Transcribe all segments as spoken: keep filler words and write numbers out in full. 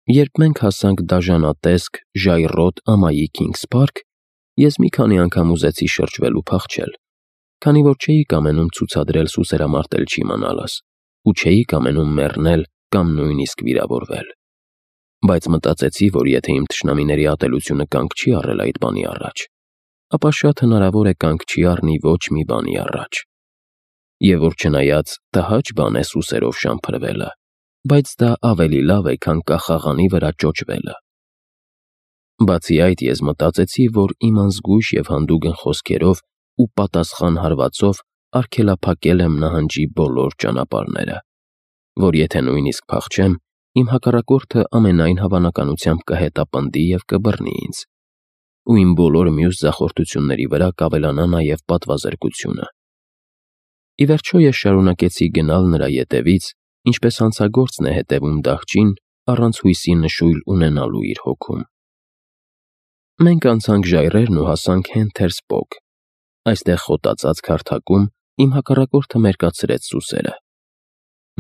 Երբ մենք հասանք դաժանատեսկ, ժայռոտ ամայի Քինգս Փարք, ես մի քանի անգամ ուզեցի շրջվել ու փախչել, քանի որ չէի կամենում ցուցադրել սուսերամարտել չիմանալս ու չէի կամենում մեռնել կամ նույնիսկ վիրավորվել։ Բայց մտածեցի, որ եթե իմ թշնամիների ատելությունը կանգ չի առել այդ բանի առաջ, ապա շատ հնարավոր է կանգ չի առնի ոչ մի բանի առաջ։ Եվ որ չնայած տհաճ բան է սուսերով շամփրվելը, բայց դա ավելի լավ է, քան կախաղանի վրա ճոճվելը։ Բացի այդ, ես մտածեցի, որ իմ անզգույշ և հանդուգն խոսքերով ու պատասխան հարվածով արգելափակել եմ նահանջի բոլոր ճանապարհները, որ եթե նույնիսկ փախչեմ, իմ հակառակորդը ամենայն հավանականությամբ կհետապնդի և կբռնի ինձ, ու իմ բոլոր մյուս ձախորդությունների վրա կավելանա նաև պատվազրկությունը։ Ի վերջո ես շարունակեցի գնալ նրա ետևից, ինչպես հանցագործն է հետևում դահճին, առանց հույսի նշույլ ունենալու իր հոգում։ Մենք անցանք ժայռերն ու հասանք Հենթերսպոգ։ Այստեղ խոտածած քարթակում իմ հակառակորդը մերկացրեց սուսերը։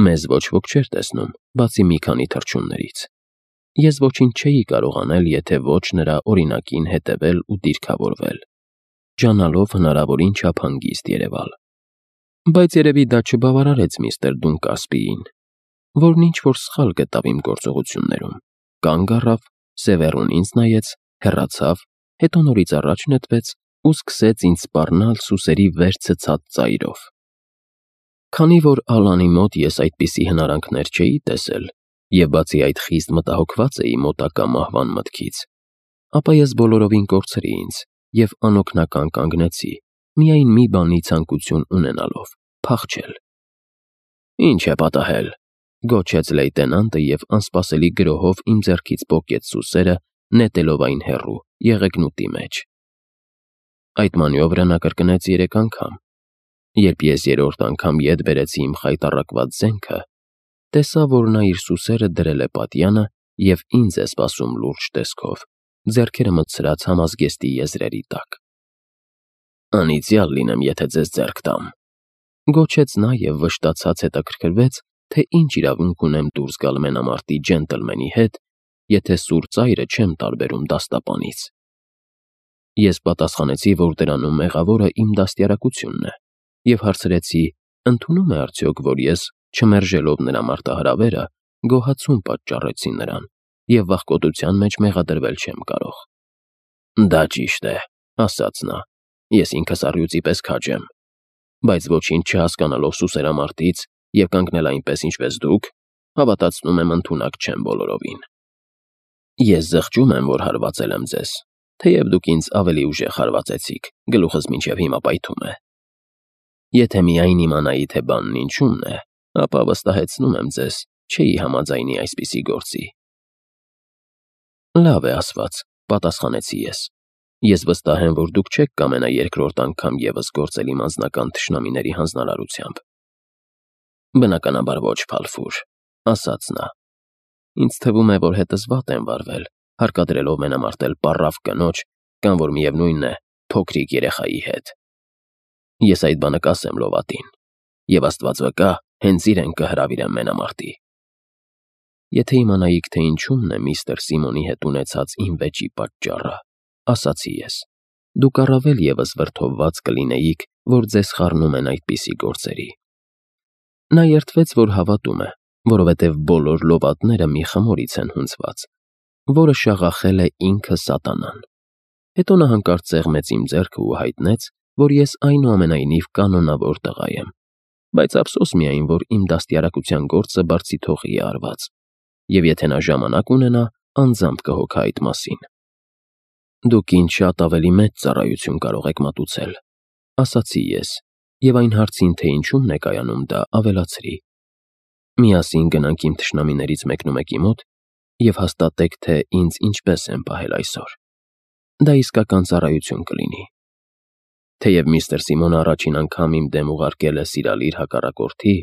Մեզ ոչ ոք չէր տեսնում, բացի մի քանի թռչուններից։ Ես ոչինչ չէի կարող անել, եթե ոչ նրա օրինակին հետևել ու դիրքավորվել, ջանալով հնարավորին չափ հանգիստ երևալ։ Բայց երևի դա չբավարարեց միստր Դունկասպիին, որն ինչ-որ սխալ գտավ իմ գործողություններում, կանգ առավ, սևեռուն ինձ նայեց, հեռացավ, հետո նորից առաջ նետվեց ու սկսեց ինձ սպառնալ սուսերի վեր ցցած ծայրով։ Քանի որ Ալանի մոտ ես այդպիսի հնարանքներ չէի տեսել, և բացի այդ խիստ մտահոգված էի մոտակա մահվան մտքից, ապա ես բոլորովին կորցրի ինձ և անօգնական կանգնեցի, միայն մի բանի ցանկություն ունենալով՝ փախչել։ «Ինչ է պատահել», գոչեց լեյտենանտը և անսպասելի գրոհով իմ ձեռքից պոկեց սուսերը, նետելով այն հեռու, եղեգնուտի մեջ։ Այդ մանյովրը նա կրկնեց երեք անգամ։ Երբ ես երրորդ անգամ ետ բերեցի իմ խայտառակված զենքը, տեսա, որ նա իր սուսերը դրել է պատյանը և ինձ է սպասում լուրջ տեսքով, ձեռքերը մտցրած համազգեստի եզրերի տակ։ «Անիծյալ լինեմ, եթե ձեզ ձեռք տամ», գոչեց նա և վշտացած հետաքրքրվեց, թե ինչ իրավունք ունեմ դուրս գալ մենամարտի ջենտլմենի հետ, եթե սուր ծայրը չեմ տարբերում դաստապանից։ Ես պատասխանեցի, որ դրանում մեղավորը իմ դաստիարակությունն է, և հարցրեցի, ընդունո՞ւմ է արդյոք, որ ես, չմերժելով նրա մարտահրավերը, գոհացում պատճառեցի նրան, և վախկոտության մեջ մեղադրվել չեմ կարող։ «Դա ճիշտ է», ասաց նա, «ես ինքս առյուծի պես քաջ եմ, բայց ոչինչ չհասկանալով սուսերամարտից և կանգնել այնպես, ինչպես դուք, հավատացնում եմ, ընդունակ չեմ բոլորովին։ Ես զղջում եմ, որ հարվածել եմ ձեզ, թեև դուք ինձ ավելի ուժեղ հարվածեցիք, գլուխս մինչև հիմա պայթում է։ Եթե միայն իմանայի, թե բանն ինչումն է, ապա վստահեցնում եմ ձեզ, չէի համաձայնի այսպիսի գործի»։ «Լավ է ասված», պատասխանեցի ես։ «Ես վստահ եմ, որ դուք չեք կամենա երկրորդ անգամ ևս գործել իմ անձնական թշնամիների հանձնարարությամբ»։ «Բնականաբար ոչ, Փալֆուր», ասաց նա։ «Ինձ թվում է, որ հետս վատ եմ վարվել, հարկադրելով մենամարտել պառավ կնոջ կամ, որ միևնույնն է, փոքրիկ երեխայի հետ։ Ես այդ բանը կասեմ լովատին, և Աստված վկա, հենց իրեն կհրավիրեմ մենամարտի»։ «Եթե իմանայիք, թե ինչումն է միստր Սիմոնի հետ ունեցած իմ վեճի պատճառը», ասացի ես, «դուք առավել ևս վրդովված կլինեիք, որ ձեզ խառնում են այդպիսի գործերի»։ Նա երդվեց, որ հավատում է, որովհետև բոլոր լովատները մի խմորից են հունձված, որը շաղախել է ինքը սատանան։ Հետո նա հանկարծ ծեղմեց իմ ձեռքը ու հայտնեց, որ ես այնուամենայնիվ կանոնավոր տղա եմ, բայց ափսոս միայն, որ իմ դաստիարակության գործը բարձիթողի է արված, և եթե նա ժամանակ ունենա, անձամբ կհոգա այդ մասին։ «Դուք ինձ շատ ավելի մեծ ծառայություն կարող եք մատուցել», ասացի ես, և այն հարցին, թե ինչումն է կայանում դա, ավելացրի. «Միասին գնանք իմ թշնամիներից մեկնումեկի մոտ և հաստատեք, թե ինձ ինչպես են պահել այսօր։ Դա իսկական ծառայություն կլինի։ Թեև միստր Սիմոնը առաջին անգամ իմ դեմ ուղարկել է սիրալ իր հակառակորդի,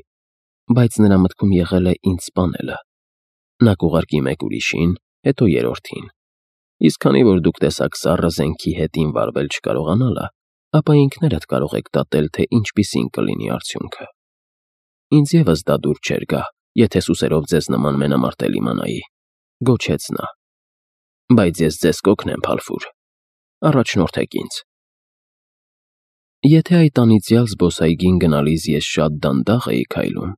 բայց նրա մտքում եղել է ինձ սպանելը։ Նա կուղարկի մեկ ուրիշին, հետո երրորդին։ Իսկ քանի որ դուք տեսաք սառը զենքի հետ իմ վարվել չկարողանալը, ապա ինքներդ կարող եք դատել, թե ինչպիսին կլինի արդյունքը։ Ինձ ևս դա դուր չէր գա, եթե սուսերով ձեզ նման մենամարտել իմանայի։ Գոչեց նա։ Բայց ես ձեզ կօգնեմ, Բալֆուր, առաջնորդեք ինձ։ Եթե այդ անիծյալ զբոսայգին գնալիս ես շատ դանդաղ էի քայլում,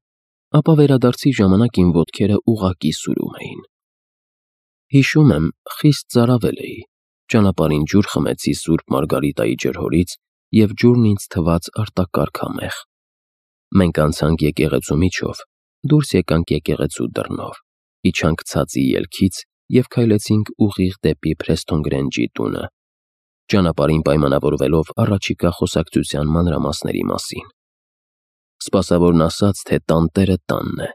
ապա վերադարձի ժամանակ իմ ոտքերը ուղղակի սուրում էին։ Հիշում եմ, խիստ ծարավել էի, ճանապարհին ջուր խմեցի Սուրբ Մարգարիտայի ջրհորից և ջուրն ինձ թվաց արտակարգ համեղ։ Մենք անցանք եկեղեցու միջով, դուրս եկանք եկեղեցու դռնով, իջանք ցածի ելքից և քայլեցինք ուղիղ դեպի Փրեսթոն Գրենջի տունը, ճանապարհին պայմանավորվելով առաջիկա խոսակցության մանրամասների մասին։ Սպասավորն ասաց, թե տանտերը տանն է,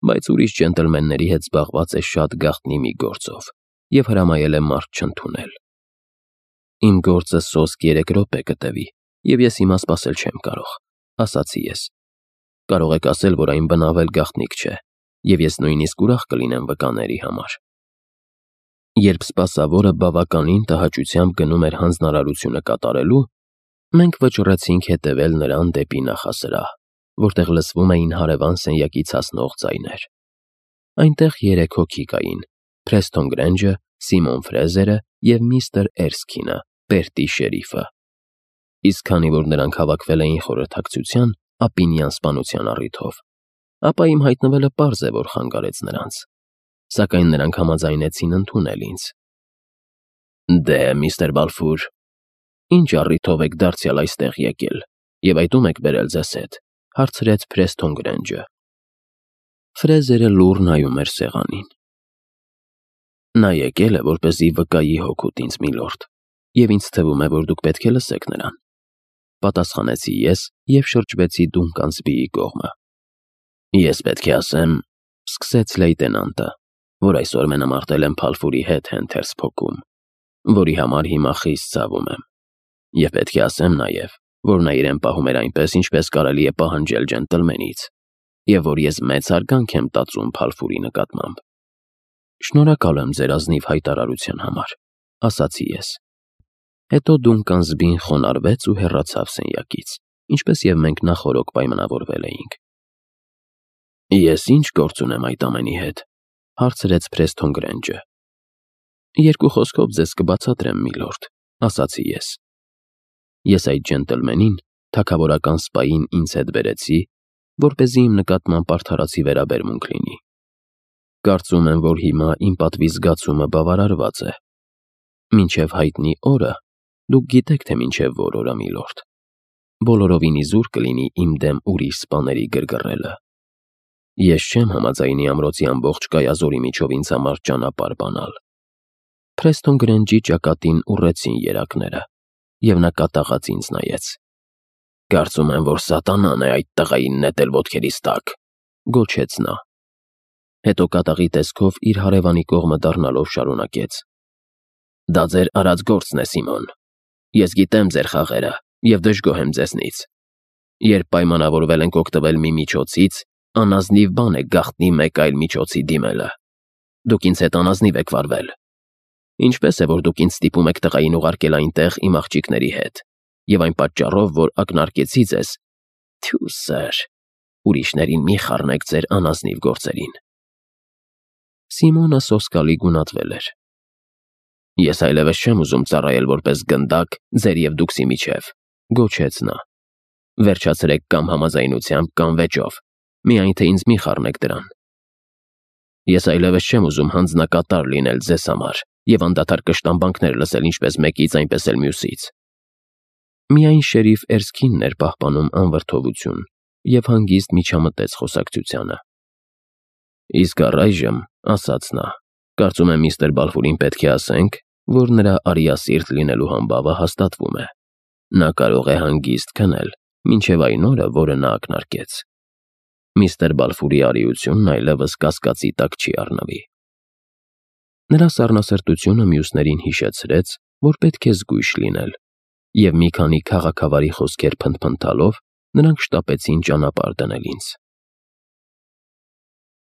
բայց ուրիշ ջենտլմենների հետ զբաղված է շատ գաղտնի մի գործով և հրամայել է մարդ չընդունել։ Իմ գործը սոսկ երեք րոպե կտևի, և ես հիմա սպասել չեմ կարող, ասացի ես։ Կարող եք ասել, որ այն բնավել գաղտնիք չէ, և ես նույնիսկ ուրախ կլինեմ վկաների համար։ Երբ սպասավորը բավականին տհաճությամբ գնում էր հանձնարարությունը կատարելու, մենք վճռեցինք հետևել նրան դեպի նախասրահ, որտեղ լսվում էին հարևան սենյակից հասնող ձայներ։ Այնտեղ երեք հոգի կային՝ Փրեսթոն Գրենջը, Սիմոն Ֆրեզերը և միստր Էրսքինը, Բերտի շերիֆը։ Իսկ քանի որ նրանք հավաքվել էին խորհրդակցության ապինյան սպանության առիթով, ապա իմ հայտնվելը պարզ է, որ խանգարեց նրանց, սակայն նրանք համաձայնեցին ընդունել ինձ։ Դե, միստր Բալֆուր, ինչ առիթով եք դարձյալ այստեղ եկել և այդ ում եք բերել ձեզ հետ, հարցրեց Փրեսթոն Գրենջը։ Ֆրեզերը լուռ նայում էր սեղանին։ Նա եկել է, որպեսզի վկայի հոգուտ ինձ, միլորդ, և ինձ թվում է, որ դուք պետք է լսեք նրան, պատասխանեցի ես և շրջվեցի Դունկանսբիի կողմը։ Ես պետք է ասեմ, սկսեց լեյտենանտը, որ այսօր մենամարտել եմ Բալֆուրի հետ Հենթերս Փոքում, որի համար հիմա խիստ ցավում եմ, և պետք է ասեմ նաև, որ նա իրեն պահում էր այնպես, ինչպես կարելի է պահանջել ջենտլմենից, և որ ես մեծ հարգանք եմ տածում Բալֆուրի նկատմամբ։ Շնորհակալ եմ ձեր ազնիվ հայտարարության համար, ասացի ես։ Հետո Դունկանսբին խոնարհվեց ու հեռացավ սենյակից, ինչպես և մենք նախօրոք պայմանավորվել էինք։ Ես ինչ գործ ունեմ այդ ամենի հետ, հարցրեց Փրեսթոն Գրենջը։ Երկու խոսքով ձեզ կբացատրեմ, միլորդ, ասացի ես։ Ես այդ ջենտլմենին, թագավորական սպային ինձ հետ բերեցի, որպեսզի իմ նկատմամբ արդարացի վերաբերմունք լինի։ Կարծում եմ, որ հիմա իմ պատվի զգացումը բավարարված է։ Մինչև հայտնի օրը, դուք գիտեք, թե մինչև որ օրը, միլորդ, բոլորովին իզուր կլինի իմ դեմ ուրիշ սպաների գրգռելը։ Ես չեմ համաձայնի ամրոցի ամբողջ կայազորի միջով ինձ համար ճանապարհ բանալ։ Փրեսթոն Գրենջի ճակատին ուռեցին երակները, և նա կատաղած ինձ նայեց։ Կարծում եմ, որ սատանան է այդ տղային նետել ոտքերիս տակ, գոչեց նա։ Հետո կատաղի տեսքով իր հարևանի կողմը դառնալով շարունակեց. Դա ձեր արած գործն է, Սիմոն։ Ես գիտեմ ձեր խաղերը և դժգոհ եմ ձեզնից։ Երբ պայմանավորվել ենք օգտվել մի միջոցից, անազնիվ բան է գաղտնի մեկ այլ միջոցի դիմելը։ Դուք ինձ հետ անազնիվ եք վարվել։ Ինչպես է, որ դուք ինձ ստիպում եք տղային ուղարկել այնտեղ իմ աղջիկների հետ, և այն պատճառով, որ ակնարկեցի ձեզ, թյու սըր, ուրիշներին մի խառնեք ձեր անազնիվ գործերին։ Սիմոնը սոսկալի գունատվել էր։ Ես այլևս չեմ ուզում ծառայել որպես գնդակ ձեր և դուքսի միջև, գոչեց նա։ Վերջացրեք կամ համաձայնությամբ, կամ վեճով, միայն թե ինձ մի խառնեք դրան։ Ես այլևս չեմ ուզում հանձնակատար լինել ձեզ համար և անդադար կշտամբանքներ լսել ինչպես մեկից, այնպես էլ մյուսից։ Միայն շերիֆ Էրսքինն էր պահպանում անվրդովություն և հանգիստ միջամտեց խոսակցությանը։ Իսկ առայժմ, ասաց նա, կարծում եմ միստր Բալֆուրին պետք է ասենք, որ նրա արիասիրտ լինելու համբավը հաստատվում է։ Նա կարող է հանգիստ քնել, մինչև այն օրը, որը նա ակնարկեց։ Միստր Բալֆուրի արիությունն այլևս կասկածի տակ չի առնվի։ Նրա սառնասրտությունը մյուսներին հիշեցրեց, որ պետք է զգույշ լինել, և մի քանի քաղաքավարի խոսքեր փնթփնթալով նրանք շտապեցին ճանապարհ դնել ինձ։